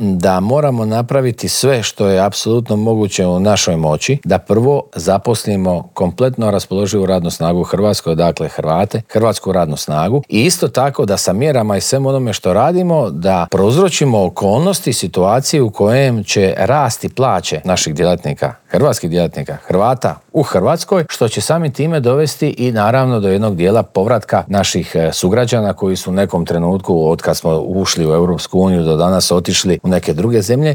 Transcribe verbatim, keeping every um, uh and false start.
da moramo napraviti sve što je apsolutno moguće u našoj moći, da prvo zaposlimo kompletno raspoloživu radnu snagu u Hrvatskoj, dakle Hrvate, hrvatsku radnu snagu, i isto tako da sa mjerama i svem onome što radimo, da prouzročimo okolnosti, situacije u kojem će rasti plaće naših djelatnika, hrvatskih djelatnika, Hrvata u Hrvatskoj, što će samim time dovesti i naravno do jednog dijela povratka naših sugrađana koji su u nekom trenutku od kad smo ušli u Europsku uniju do danas otišli u neke druge zemlje,